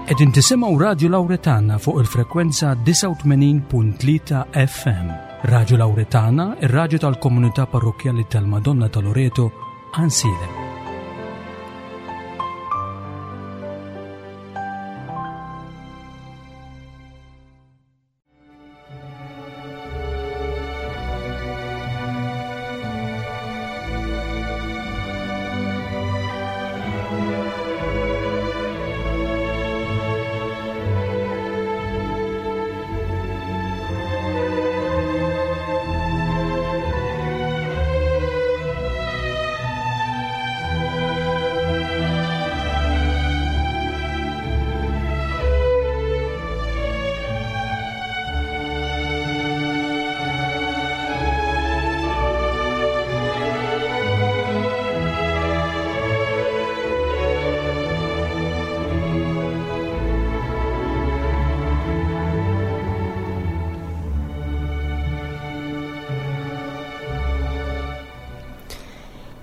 Qegħdin tisimgħu Radju Lawretana fuq il-frekwenza 89.3 FM. Radju Lawretana, ir-radju tal-komunità parrokkjali tal-Madonna ta' Loreto, Ansilem.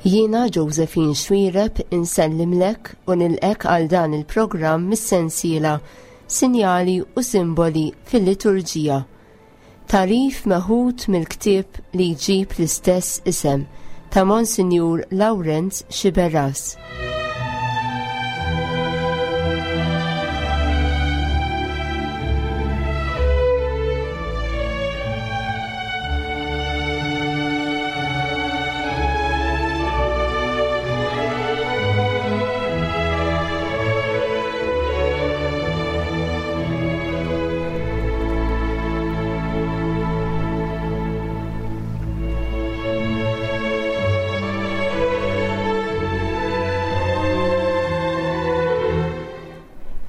Jiena Josephine Xuereb insellimlek u nilqek għal dan il-programm mis-sensiela Sinjali u Simboli fil-Liturġija. Tagħrif meħud mill-ktieb li jġib l-istess isem ta' Monsinjur Lawrenz Sciberras.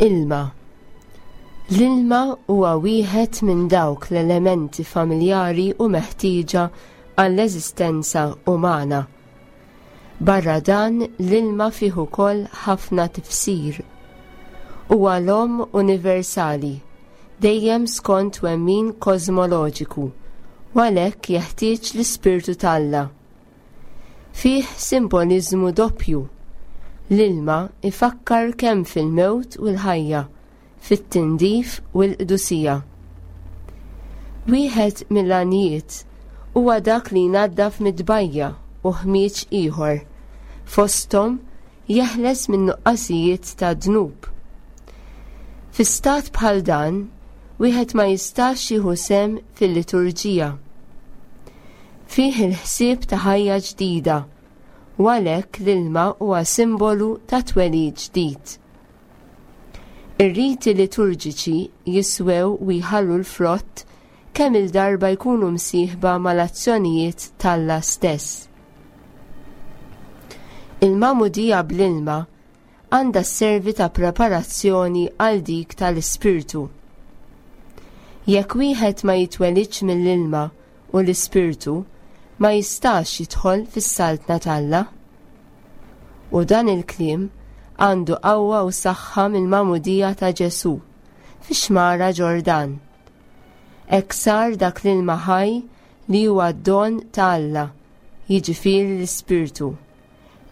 Ilma. L-ilma huwa wieħed minn dawk l-elementi familjari u meħtieġa għall-eżistenza umana. Barra dan, l-ilma fih ukoll ħafna tifsir. Huwa l-omm universali, dejjem skont twemmin kożmoloġiku, u għalhekk jeħtieġ l-Ispirtu t'Alla. Fih simboliżmu doppju. L-ilma ifakkar kemm fil-mewt u l-ħajja, fit-tindif u l-qdusija. Wieħed mill-għanijiet huwa dak li jnaddaf mid-tbajja u ħmieġ ieħor, fosthom jeħles minn nuqqasijiet ta' dnub. Fi stat bħal dan, wieħed ma jistax jieħu sehem fil-liturġija. Fih il-ħsieb ta' ħajja ġdida u għalhekk l-ilma huwa simbolu ta' twelid ġdid. Ir-riti liturġiċi jiswew u jħallu l-frott kemm-il darba jkunu msieħba mal-azzjonijiet t'Alla stess. Il-magħmudija bl-ilma għandha sservi ta' preparazzjoni għal dik tal-Ispirtu. Jekk wieħed ma jitwelidx mill-ilma u l-Ispirtu, ma jistax jidħol fis-Saltna t'Alla. U dan il-kliem għandu qawwa u saħħa mill-magħmudija ta' Ġesù fix-xmara Ġordan. Hekk sar dak l-ilma ħaj li huwa d-don ta' Alla, jiġifieri l-Ispirtu,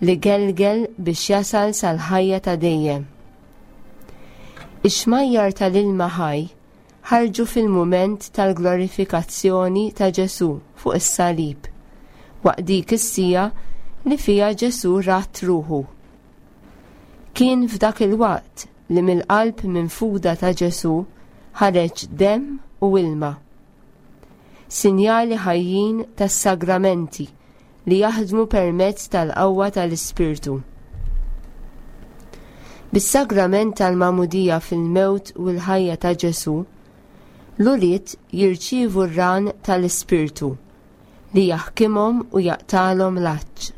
li gelgel biex jasal sal-ħajja ta' dejjem. Ix-xmajjar tal-ilma ħaj ħarġu fil-mument tal-glorifikazzjoni ta' Ġesù fuq is-salib, waqt dik is-siegħa li fiha Ġesù radd ruħu. Kien f'dak il-waqt li mill-qalb minfuda ta' Ġesù ħareġ demm u ilma. Sinjali ħajjin tas-sagramenti li jaħdmu permezz tal-qawwa tal-Ispirtu. Bis-sagrament tal-magħmudija fil-mewt u l-ħajja ta' Ġesù, l-ulied jirċievu r-ran tal-Ispirtu li jaħkimhom u jaqtalhom l-għatx.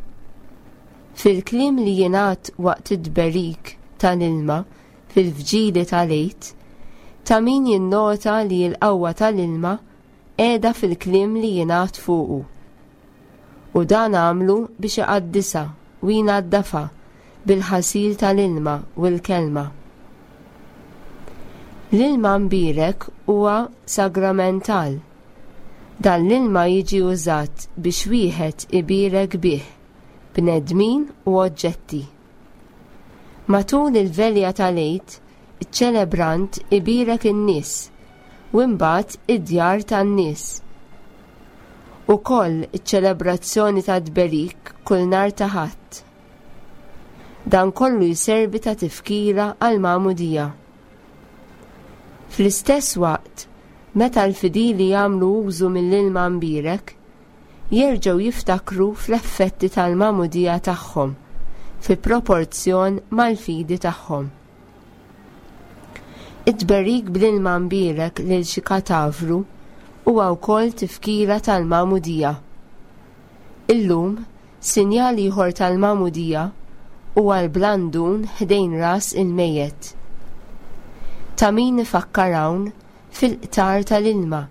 Fil-kliem li jingħad waqt it-tberik tal-ilma fil-vġili tal-Għid, ta' min jinnota li l-qawwa tal-ilma qiegħda fil-kliem li jingħad fuqu. U dan għamlu biex iqaddisha u jnaddafha bil-ħasil tal-ilma u l-kelma. L-ilma mbierek huwa sagramental. Dan l-ilma jiġi użat biex wieħed ibierek bih bnedmin u oġġetti. Matul il-velja tal-Għid, iċ-ċelebrant ibierek in-nies u imbagħad id-djar tan-nies. Ukoll iċ-ċelebrazzjoni tat-tberik kull nhar ta' Ħadd. Dan kollu jservi ta' tifkira għall-magħmudija. Fl-istess waqt, meta l-fidili jagħmlu użu mill-ilma mbierek, jerġgħu jiftakru fl-effetti tal-magħmudija tagħhom fi proporzjon mal-fidi tagħhom. It-tberik bl-ilma mbierek lil xi katavru huwa wkoll tifkira tal-magħmudija. Illum, Sinjal ieħor tal-magħmudija huwa l-blandun ħdejn ras il-mejjet. Ta' min ifakkar hawn fil-qtar tal-ilma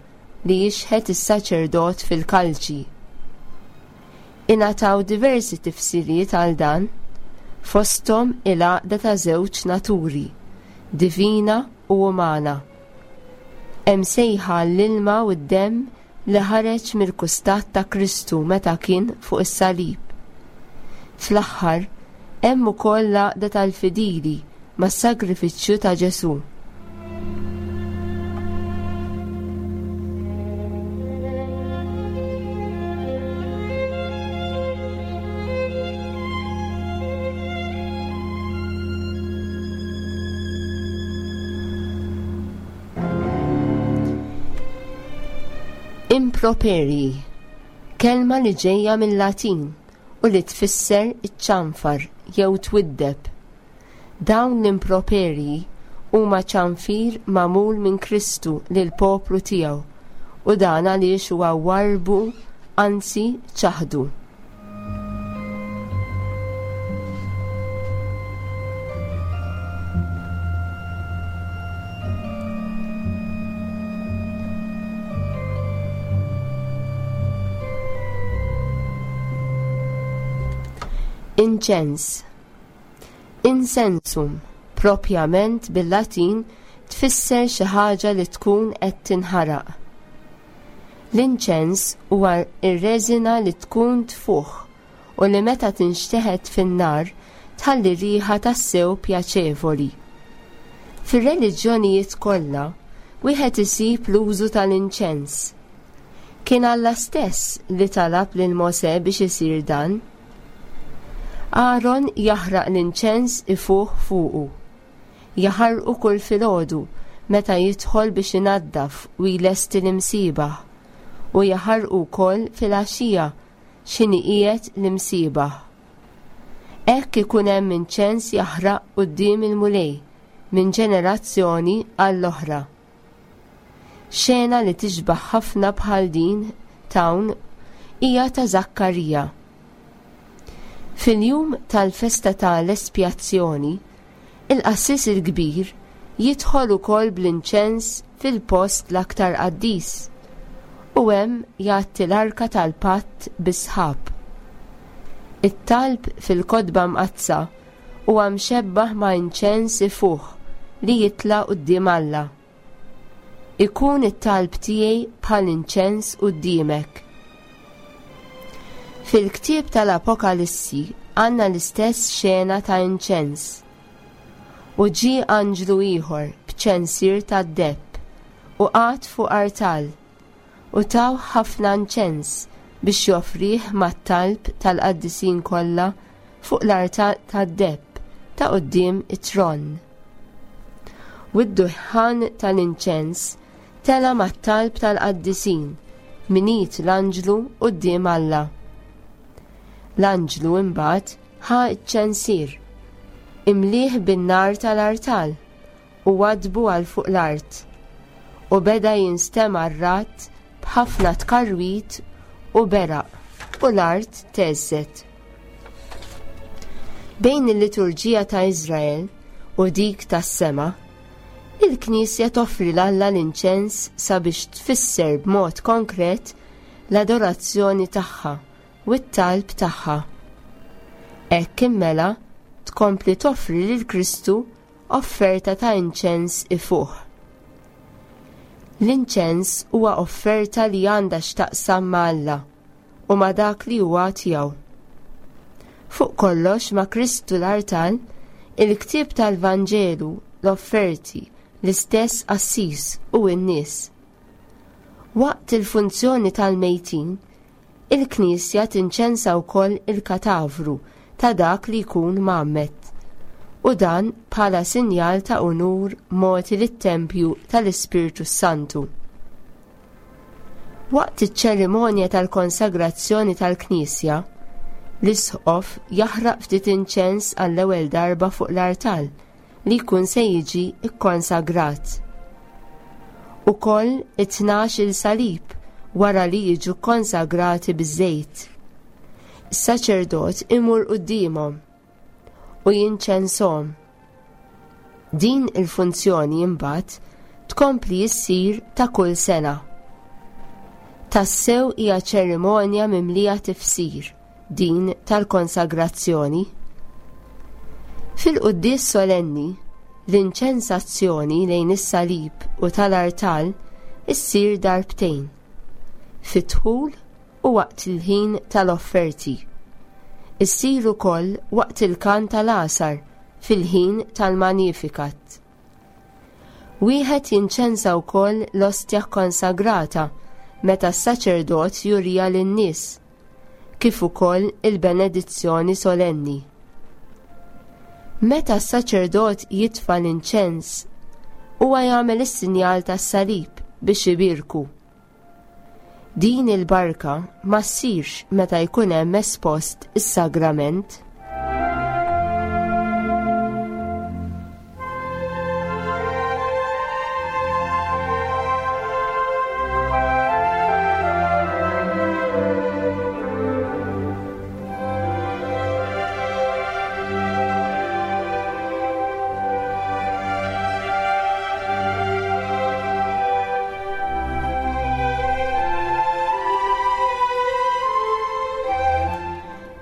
li jixħet is-saċerdot fil-kalċi. Ingħataw diversi tifsiriet għal dan, fosthom il-għaqda ta' żewġ naturi, divina u umana. Hemm sejħa għall-ilma u d-demm li ħareġ mill-kustat ta' Kristu meta kien fuq is-salib. Fl-aħħar, hemm ukoll l-għaqda tal-fidili mas-sagrifiċċju ta' Ġesù. Improperji, kelma li ġejja mill-Latin u li tfisser iċ-ċanfar jew twiddeb. Dawn l-improperji huma ċanfir magħmul minn Kristu lill-poplu tiegħu u dan għaliex huwa warrbu anzi ċaħdu. Inċens. Insensum, propjament bil-Latin tfisser xi ħaġa li tkun qed tinħaraq. L-inċens huwa r-reżina li tkun tfuħ u li meta tinxteħet fin-nar tħalli riħa tassew pjaċevoli. Fir-reliġjonijiet kollha, wieħed isib l-użu tal-inċens. Kien Alla stess li talab lil Mosè biex isir dan. Aaron jaħraq l-inċens ifuħ fuqu. Jaħarqu kull filgħodu meta jidħol biex inaddaf u jlesti l-imsiebaħ, u jaħarqu wkoll filgħaxija x'inhi qiegħed l-imsiebaħ. Hekk ikun hemm inċens jaħraq quddiem il-Mulej minn ġenerazzjoni għall-oħra. Xena li tixbaħ ħafna bħal din t'hawn hija ta' Żakkarija. Fil-jum tal-festa ta' l-Espjazzjoni, il-qassis il-kbir jidħol ukoll bl-inċens fil-post l-aktar qaddis u hemm jgħatti l-arka tal-patt bis-sħab. It-talb fil-Kotba Mqaddsa huwa mxebbah ma' inċens ifuħ li jitla' quddiem Alla. Ikun it-talb tiegħi bħal inċens quddiemek. Fil-ktieb tal-Apokalissi għandna l-istess xena ta' inċens. U ġie anġlu ieħor b'ċensier tad-deheb u qagħad fuq artal u tawh ħafna inċens biex joffrih mat-talb tal-qaddisin kollha fuq l-artal tad-deheb ta' quddiem it-tron. U d-duħħan tal-inċens tela' mat-talb tal-qaddisin minn id l-anġlu quddiem Alla. L-anġlu imbagħad ħa ċ-ċensier, imlieh bin-nar tal-artal u waddbu għal fuq l-art, u beda jinstema' r-ragħad b'ħafna tkarwit u beraq, u l-art theżżet. Bejn il-liturġija ta' Iżrael u dik tas-sema, il-Knisja toffri 'l Alla l-inċens sabiex tfisser b'mod konkret l-adorazzjoni tagħha u t-talb tagħha. Hekk immela tkompli toffri lil Kristu offerta ta' inċens ifuħ. L-inċens huwa offerta li għandha x'taqsam ma' Alla u ma' dak li huwa tiegħu. Fuq kollox ma' Kristu l-artal, il-ktieb tal-Vanġelu l-offerti, l-istess qassis u n-nies. Waqt il-funzjoni tal-mejtin, il-Knisja tinċensa wkoll il-katavru ta' dak li jkun mgħammed, u dan bħala sinjal ta' unur mogħti lit-tempju tal-Ispirtu s-Santu. Waqt iċ-ċerimonja tal-konsagrazzjoni tal-Knisja, l-Isqof jaħraq ftit inċens għall-ewwel darba fuq l-artal li jkun se jiġi kkonsagrat. Ukoll it-tnax il salib wara li jiġu kkonsagrati biż-żejt. Is-saċerdot imur quddiemhom u jinċenshom. Din il-funzjoni imbagħad tkompli issir ta' kull sena. Tassew hija ċerimonja mimlija tifsir din tal-konsagrazzjoni. Fil-quddies solenni, l-inċensazzjoni lejn is-salib u tal-artal issir darbtejn, fid-dħul u waqt il-ħin tal-offerti. Issir ukoll waqt il-kant tal-għasar fil-ħin tal-Magnificat. Wieħed jinċensa wkoll l-ostja kkonsagrata meta s-saċerdot juriha lin-nies, kif ukoll il-benedizzjoni solenni. Meta s-saċerdot jitfa' l-inċens, huwa jagħmel is-sinjal tas-salib biex ibierku. Din il-barka ma ssirx meta jkun hemm espost is-sagrament.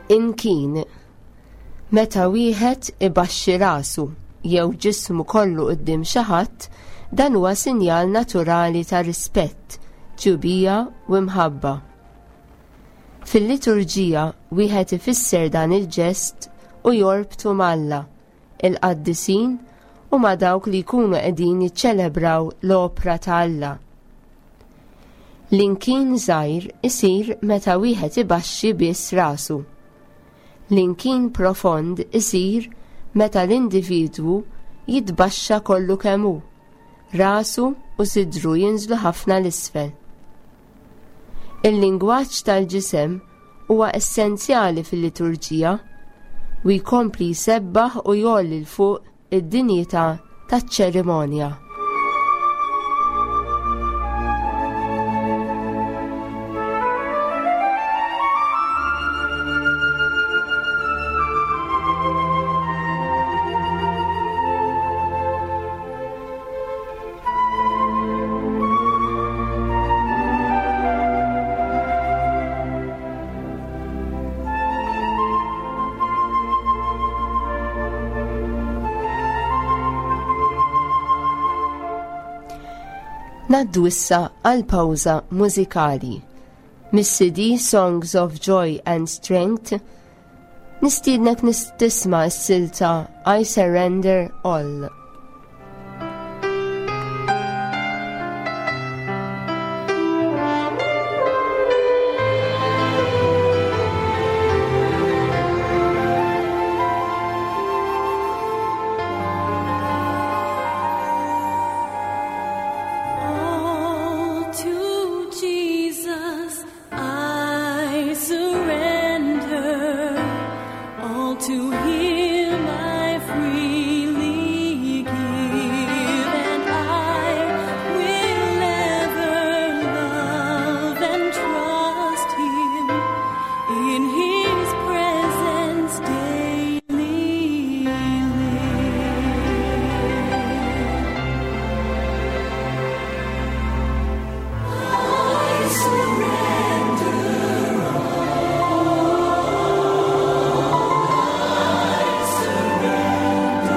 Inkin meta wieħed ibaxxi rasu jew ġismu kollu quddiem xi ħadd, dan huwa sinjal naturali ta' rispett, tjubija u mħabba. Fil-liturġija wieħed ifisser dan il-ġest u jorbtu m'Alla, il-qaddisin u ma' dawk li jkunu qegħdin jiċċelebraw l-opra ta' Alla. L-inkin żgħir isir meta wieħed ibaxxi biss rasu. L-inkin profond isir meta l-individwu jitbaxxa kollu kemm hu, rasu u sidru jinżlu ħafna 'l isfel. Il-lingwaġġ tal-ġisem huwa essenzjali fil-liturġija u jkompli jsebbaħ u jgħolli 'l fuq id-dinjità taċ-ċerimonja. Naddu issa għal pawża mużikali. Mis-CD Songs of Joy and Strength Nistiednek tisma' s-silta I Surrender All. All to Jesus I surrender, all to Him I freely give, and I will ever love and trust Him in His presence daily live. I surrender all. I surrender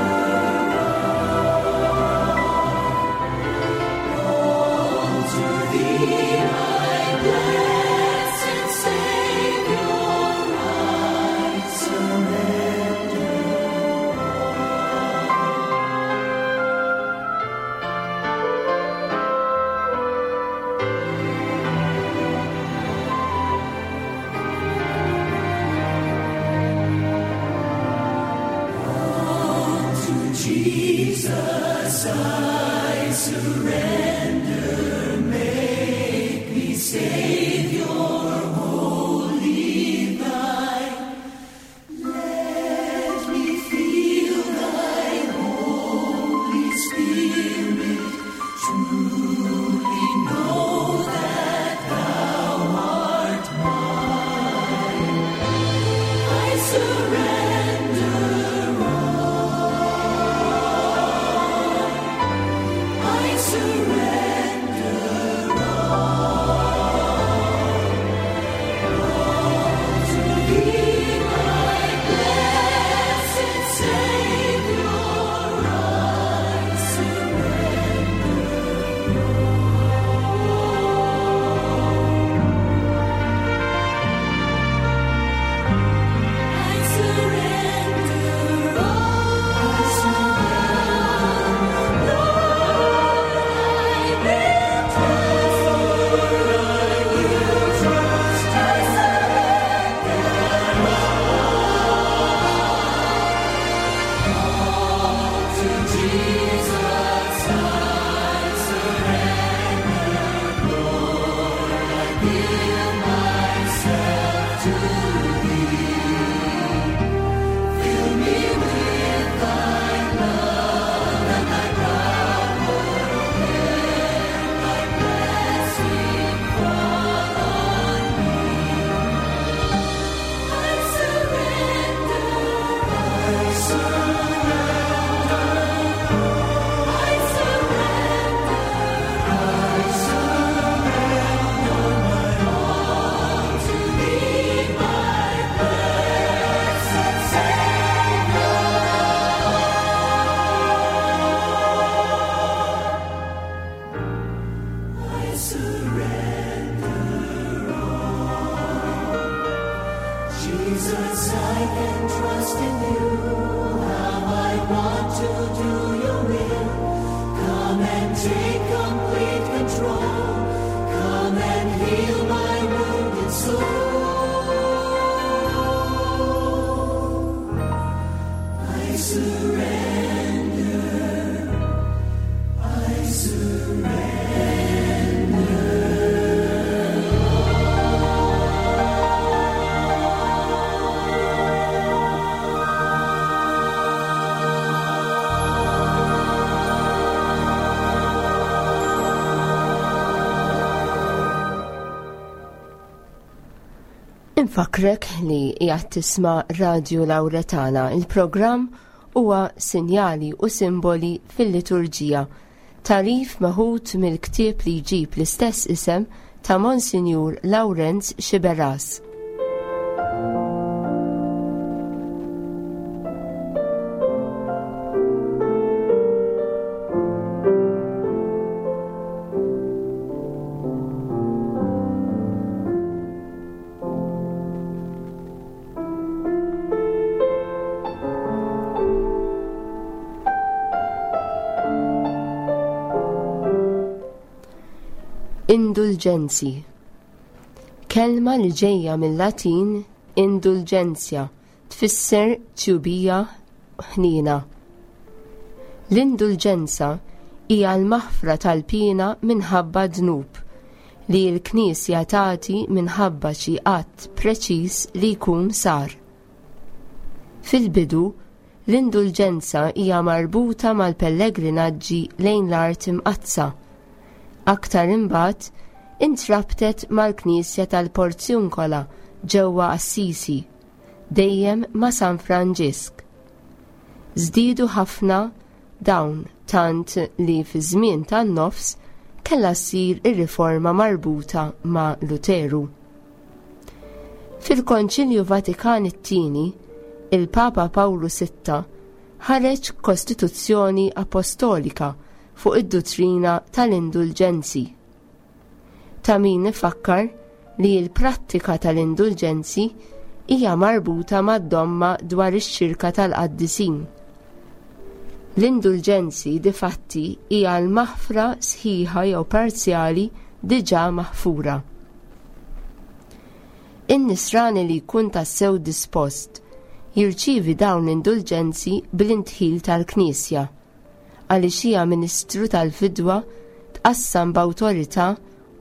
Jesus, I surrender. Make me Savior wholly thine. Let me feel thy Holy Spirit, truly know that thou art mine. I surrender all. I surrender all. All to thee, my blessed Savior, I surrender I surrender all. Lord, I will trust. I will trust. I surrender all. All to Jesus I surrender. Lord, I give myself to Thee. Fill me with Thy love and Thy power. Let Thy blessing fall on me. I surrender. I surrender. I surrender. I surrender my all to Thee, my blessed Savior. I surrender all. Jesus, I can trust in you. How I want to do your will. Come and take complete control. Come and heal my wounded soul. I surrender. I surrender. Infakrek li qiegħed tisma' Radju Lawretana. Il-programm huwa Sinjali u Simboli fil-Liturġija. Tagħrif meħud mill-ktieb li jġib l-istess isem ta' Monsinjur Lawrenz Sciberras. Indulġenzi. Kelma li ġejja mill-Latin indulgenzja tfisser tjubija ħniena. L-indulġenza hija l-maħfra tal-piena minħabba dnub li l-Knisja tagħti minħabba xi att preċiż li jkun sar. Fil-bidu, l-indulġenza hija marbuta mal-pellegrinaġġi lejn l-Art Imqaddsa. Aktar imbagħad, intrabtet mal-Knisja tal-Porziuncola ġewwa Assisi, dejjem ma' San Franġisk. Żdiedu ħafna dawn tant li fiż-żmien tan-nofs kellha ssir ir-riforma marbuta ma' Luteru. Fil-Konċilju Vatikan it-Tieni, il-Papa Pawlu Sitta ħareġ Kostituzzjoni Apostolika fuq id-duttrina tal-indulġenzi. Ta' min ifakkar li l-prattika tal-indulġenzi hija marbuta mad-domma dwar ix-xirka tal-qaddisin. L-indulġenzi difatti hija l-maħfra sħiħa jew parzjali diġà maħfura. In-nisrani li jkun tassew dispost jirċievi dawn l-indulġenzi bl-indħil tal-Knisja, għaliex hija ministru tal-fidwa tqassam b'awtorità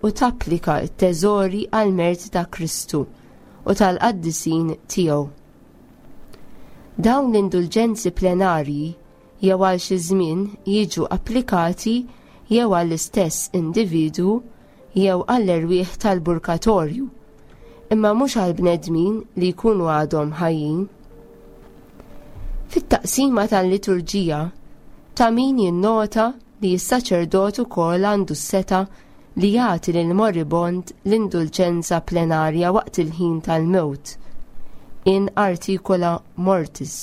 u tapplika t-teżori għall-merti ta' Kristu u tal-qaddisin tiegħu. Dawn l-indulġenzi plenarji jew għal xi żmien jiġu applikati jew għall-istess individwu jew għall-erwieħ tal-purgatorju, imma mhux għall-bnedmin li jkunu għadhom ħajjin. Fit-taqsima tal-liturġija, ta' min jinnota li s-saċerdot ukoll għandu s-setgħa li jagħti lill-moribond l-indulġenza plenarja waqt il-ħin tal-mewt, in articola mortis,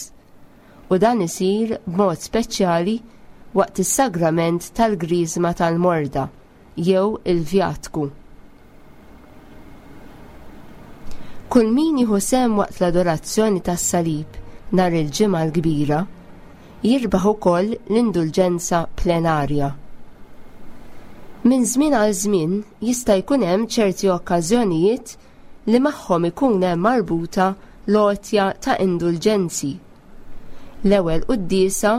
u dan isir b'mod speċjali waqt is-sagrament tal-Griżma tal-Morda jew il-Vjatku. Kull min jieħu sehem waqt l-adorazzjoni tas-Salib nhar il-Ġimgħa l-Kbira jirbaħ ukoll l-indulġenza plenarja. Minn żmien għal żmien jista' jkun hemm ċerti okkażjonijiet li magħhom ikun hemm marbuta l-għotja ta' indulġenzi. L-ewwel quddiesa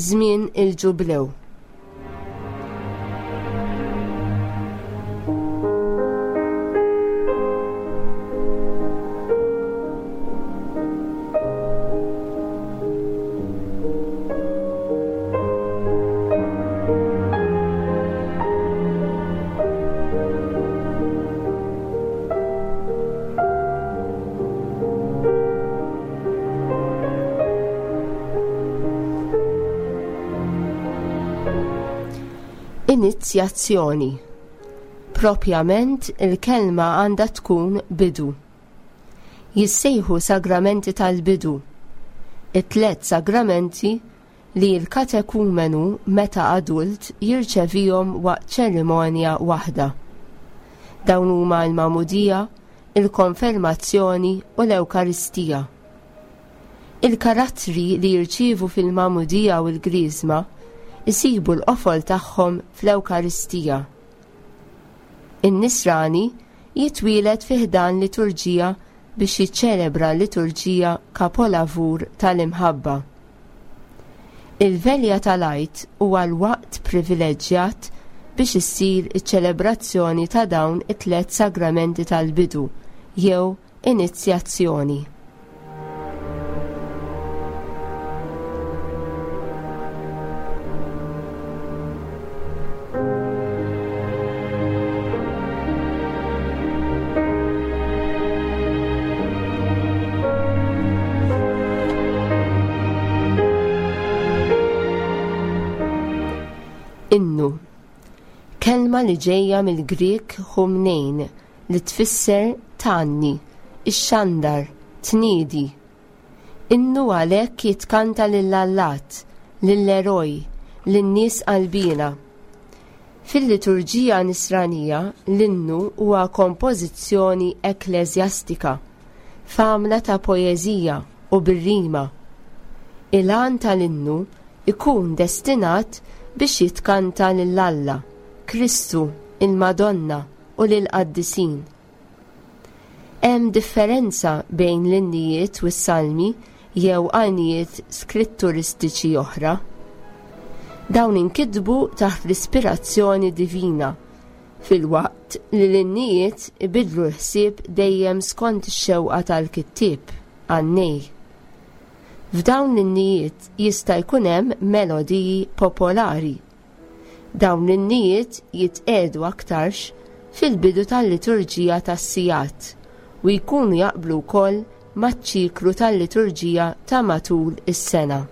żmien il-Ġublew. Inizjazzjoni. Propjament il-kelma għandha tkun bidu. Jissejħu sagramenti tal-bidu. It-tlet sagramenti li l-katekumenu meta adult jirċevihom waqt ċerimonja waħda. Dawn huma l-magħmudija, il-konfermazzjoni u l-Ewkaristija. Il-karattri li jirċievu fil-magħmudija u l-griżma jsibu l-qofol tagħhom fl-Ewkaristija. In-Nisrani jitwieled fi ħdan liturġija biex jiċċelebra l-liturġija kapolavur tal-imħabba. Il-Velja tal-Għid huwa l-waqt privileġġjat biex issir iċ-ċelebrazzjoni ta' dawn it-tliet sagramenti tal-bidu jew inizjazzjoni. Innu. Kelma li ġejja mill-Grieg humnein li tfisser tgħanni, ixxandar, tniedi. Innu għalhekk jitkanta lill-allat, lill-eroj, lin-nies qalbiena. Fil-liturġija Nisranija l-innu huwa kompożizzjoni ekkleżjastika, f'għamla ta' poeżija u bir-rima. Il-għan tal-innu jkun destinat biex jitkanta lil Alla, Kristu, il-Madonna u lill-qaddisin. Hemm differenza bejn l-innijiet u s-salmi jew għajnijiet skritturistiċi oħra. Dawn inkitbu taħt l-ispirazzjoni divina, filwaqt li l-innijiet ibiddlu l-ħsieb dejjem skont ix-xewqa tal-kittieb, għannej. F'dawn l-innijiet jista' jkun hemm melodiji popolari. Dawn l-innijiet jitqiegħdu aktarx fil-bidu tal-liturġija tas-sigħat u jkunu jaqblu wkoll maċ-ċiklu tal-liturġija ta' matul is-sena.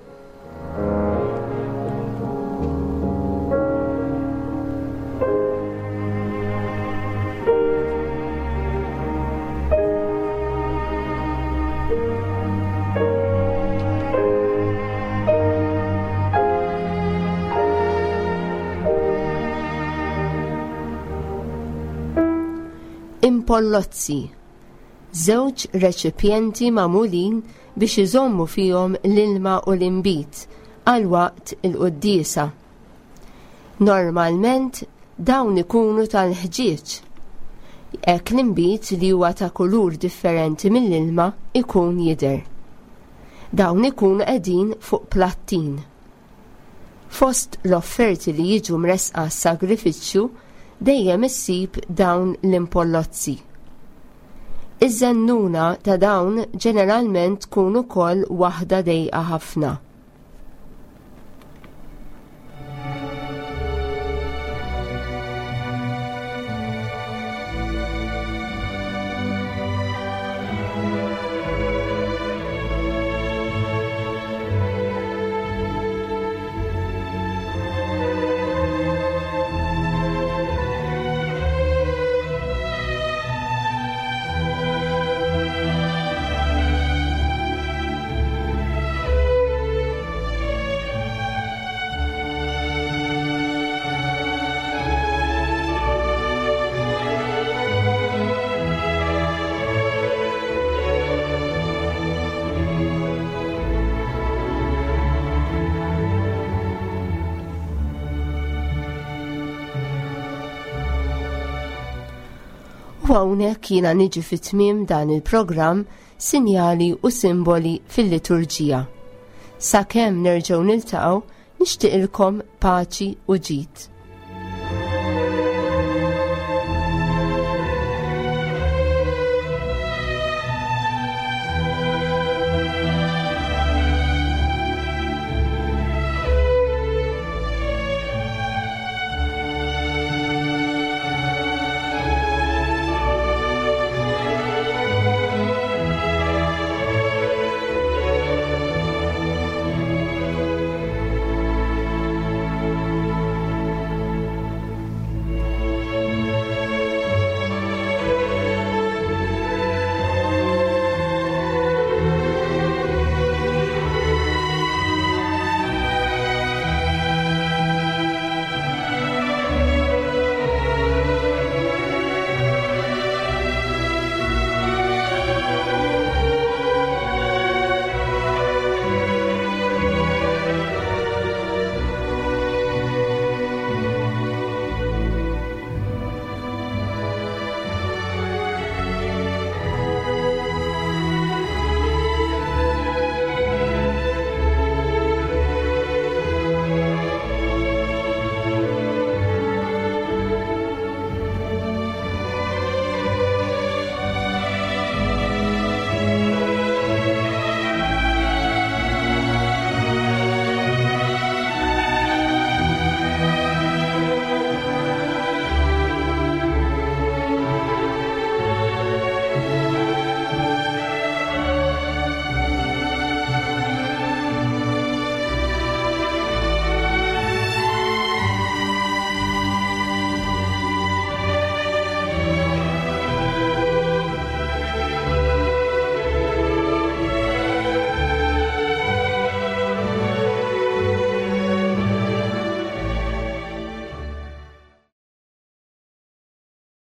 Impollozzi Żewġ reċipjenti magħmulin biex iżommu fihom l-ilma u l-inbid għal waqt il-quddiesa. Normalment dawn ikunu tal-ħġieġ. Hekk l-inbid li huwa ta' kulur differenti mill-ilma ikun jidher. Dawn ikunu qegħdin fuq plattin. Fost l-offerti li jiġu mressqa għas-sagrifiċċju dejjem issib dawn l-impollozzi. Iż-żennuna ta' dawn ġeneralment tkun ukoll waħda dejqa ħafna. U hawnhekk jiena niġi fi tmiem dan il-programm Sinjali u Simboli fil-Liturġija. Sakemm nerġgħu niltaqgħu, nixtieqilkom paċi u ġid.